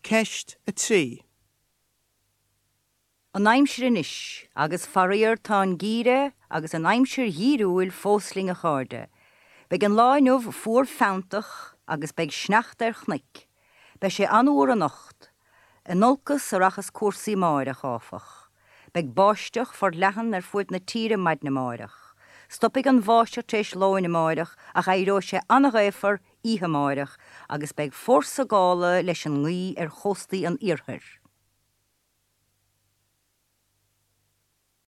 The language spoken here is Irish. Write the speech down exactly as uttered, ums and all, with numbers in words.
Ceist a trí. An aimsir anois, agus faraor tá an geimhreadh agus an aimsir dhíriúil fós linn a chairde. Beidh an lá inniu fuar feanntach agus beidh sneachta ar chnoic. Beidh sé an-fhuar anocht, in olcas a rachas cúrsaí amárach áfach. Beidh báisteach forleathan ar fud na tíre maidin amárach. Stopfaidh an bháisteach tar éis lóin amárach ach éireoidh sé an-ghaofar oíche amárach agus beidh fórsa gála leis an ngaoth ar chóstaí an iarthair.